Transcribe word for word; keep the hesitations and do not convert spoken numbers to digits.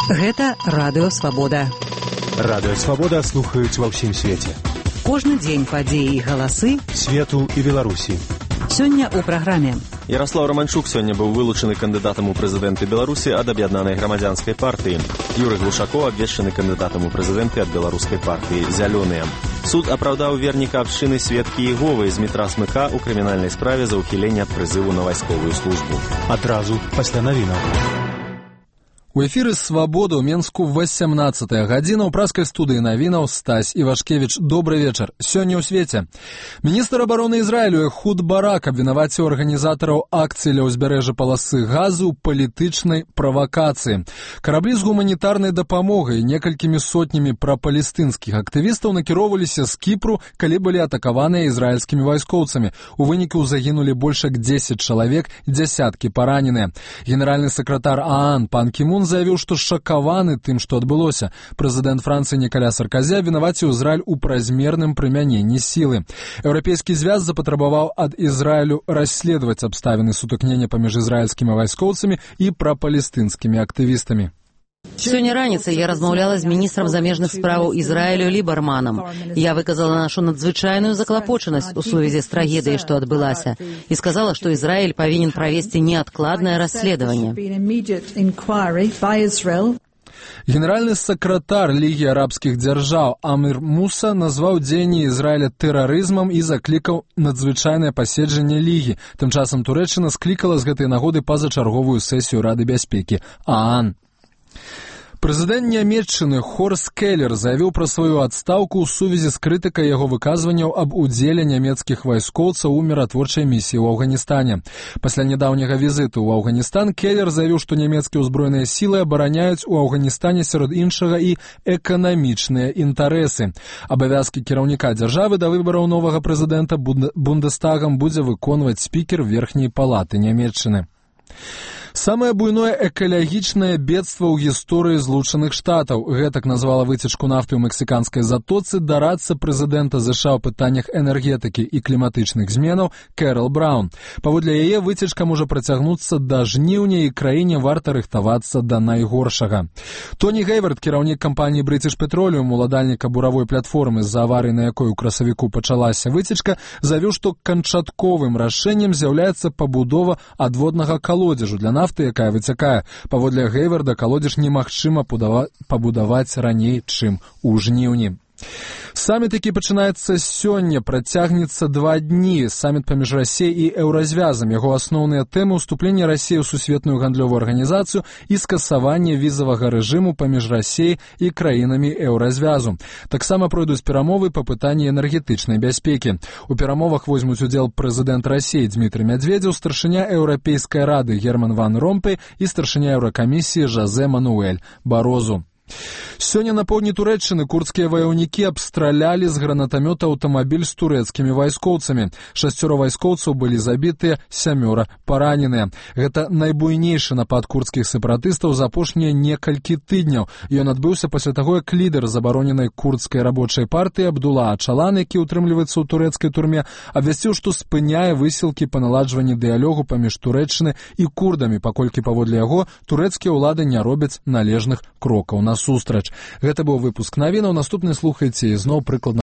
Гэта Радыё Свабода. Радыё Свабода слухаюць ва ўсім свеце. Кожны дзень падзеі і галасы свету і Беларусі. Сёння ў праграме. Ярослаў Романчук сёння быў вылучаны кандыдатам у прэзідэнты Беларусі ад аб'яднанай грамадзянскай партыі. Юрый Глушакоў абвешчаны кандыдатам у прэзідэнты ад беларускай партыі «Зялёныя». Суд апраўдаў верніка абшчыны Светкі Іговай з метра Смыка ў крымінальнай справе за ўхіленне ад прызыву на вайсковую службу. Адразу пасля навінаў. У эфіры «Свабода» ў Менску васямнаццатая гадзіна ў праскай студыі навінаў Стась Івашкевіч. Добры вечар. Сёння ў свеце. Міністр абароны Ізраілю Эхуд Барак абвінаваціў арганізатараў акцыі ля ўзбярэжжа паласы газу ў палітычнай правакацыі. Караблі з гуманітарнай дапамогай і некалькімі сотнямі прапалестынскіх актывістаў накіроўваліся з Кіпру, калі былі атакаваныя ізраільскімі вайскоўцамі. У выніку загінулі больш як дзесяць чалавек, дзясяткі параненыя. Генеральны сакратар ААН пан Кімун заявіў, што шакаваны тым, што адбылося. Прэзідэнт Францыі Нікаля Сарказі абвінаваціў Ізраіль у празмерным прымяненні сілы. Еўрапейскі звяз запатрабаваў ад Ізраілю расследаваць абставіны сутыкнення паміж ізраільскімі вайскоўцамі і прапалестынскімі актывістамі. Сёння раніцай я размаўляла з міністрам замежных справаў Ізраілю Лібарманам. Я выказала нашу надзвычайную заклапочанасць у сувязі з трагедыяй, што адбылася, і сказала, што Ізраіль павінен правесці неадкладнае расследаванне. Генеральны сакратар Лігі арабскіх дзяржаў Амір Муса назваў дзеянні Ізраіля тэрарызмам і заклікаў надзвычайнае паседжанне Лігі. Тым часам Турэччына склікала з гэтай нагоды пазачарговую сесію Рады бяспекі ААН. Прэзідэнт Нямецчыны Хорст Келлер заявіў пра сваю адстаўку ў сувязі з крытыкай яго выказванняў аб удзеле нямецкіх вайскоўцаў у міратворчай місіі ў Афганістане. Пасля нядаўняга візіту ў Афганістан Келлер заявіў, што нямецкія ўзброеныя сілы абараняюць у Афганістане сярод іншага і эканамічныя інтарэсы. Абавязкі кіраўніка дзяржавы да выбараў новага прэзідэнта Бундестагам будзе выконваць спікер верхняй палаты Нямецчыны. Самае буйное экалагічнае бедства ў гісторыі Злучаных Штатаў. Гэтак назвала выцечку нафты ў мексіканскай затоцы дарадца прэзідэнта ЗША ў пытаннях энергетыкі і кліматычных зменаў Кэрол Браун. Паводле яе выцечка можа працягнуцца да жніўня і краіне варта рыхтавацца да найгоршага. Тоні Гейвард, кіраўнік кампаніі British Petroleum, уладальніка буравой платформы, з-за аварыі, на якой у красавіку пачалася выцечка, заявіў, што канчатковым рашэннем з'яўляецца пабудова адводнага калодзежу для нафты, якая выцякае. Паводле Гейварда, калодзеж немагчыма пабудаваць раней, чым у жніўні. Саміт, які пачынаецца сёння, працягнецца два дні. Саміт паміж Расіяй і Еўразвязам. Яго асноўныя тэмы — ўступленне Расіі ў сусветную гандлёвую арганізацыю і скасаванне візавага рэжыму паміж Расіяй і краінамі Еўразвязу. Таксама пройдуць перамовы па пытанні энергетычнай бяспекі. У перамовах возьмуць удзел прэзідэнт Расіі Дмітрый Мядзведзеў, старшыня Еўрапейскай рады Герман ван Ромпэй і старшыня Еўракамісіі Жозе Мануэль Барозу. Сёння на поўдні Турэччыны курдскія ваяўнікі абстралялі з гранатамёта аўтамабіль з турэцкімі вайскоўцамі. Шасцёра вайскоўцаў былі забітыя, сямёра параненыя. Гэта найбуйнейшы напад курдскіх сепаратыстаў за апошнія некалькі тыдняў. Ён адбыўся пасля таго, як лідар забароненай курдскай рабочай партыі Абдула Ачалан, які ўтрымліваецца ў турэцкай турме, абвясціў, што спыняе высілкі па наладжванні дыялогу паміж Турэччыны і курдамі, паколькі, паводле яго, турэцкія ўлады не робяць належных крокаў насустрач. Гэта быў выпуск навінаў. Наступны слухайце ізноў прыкладна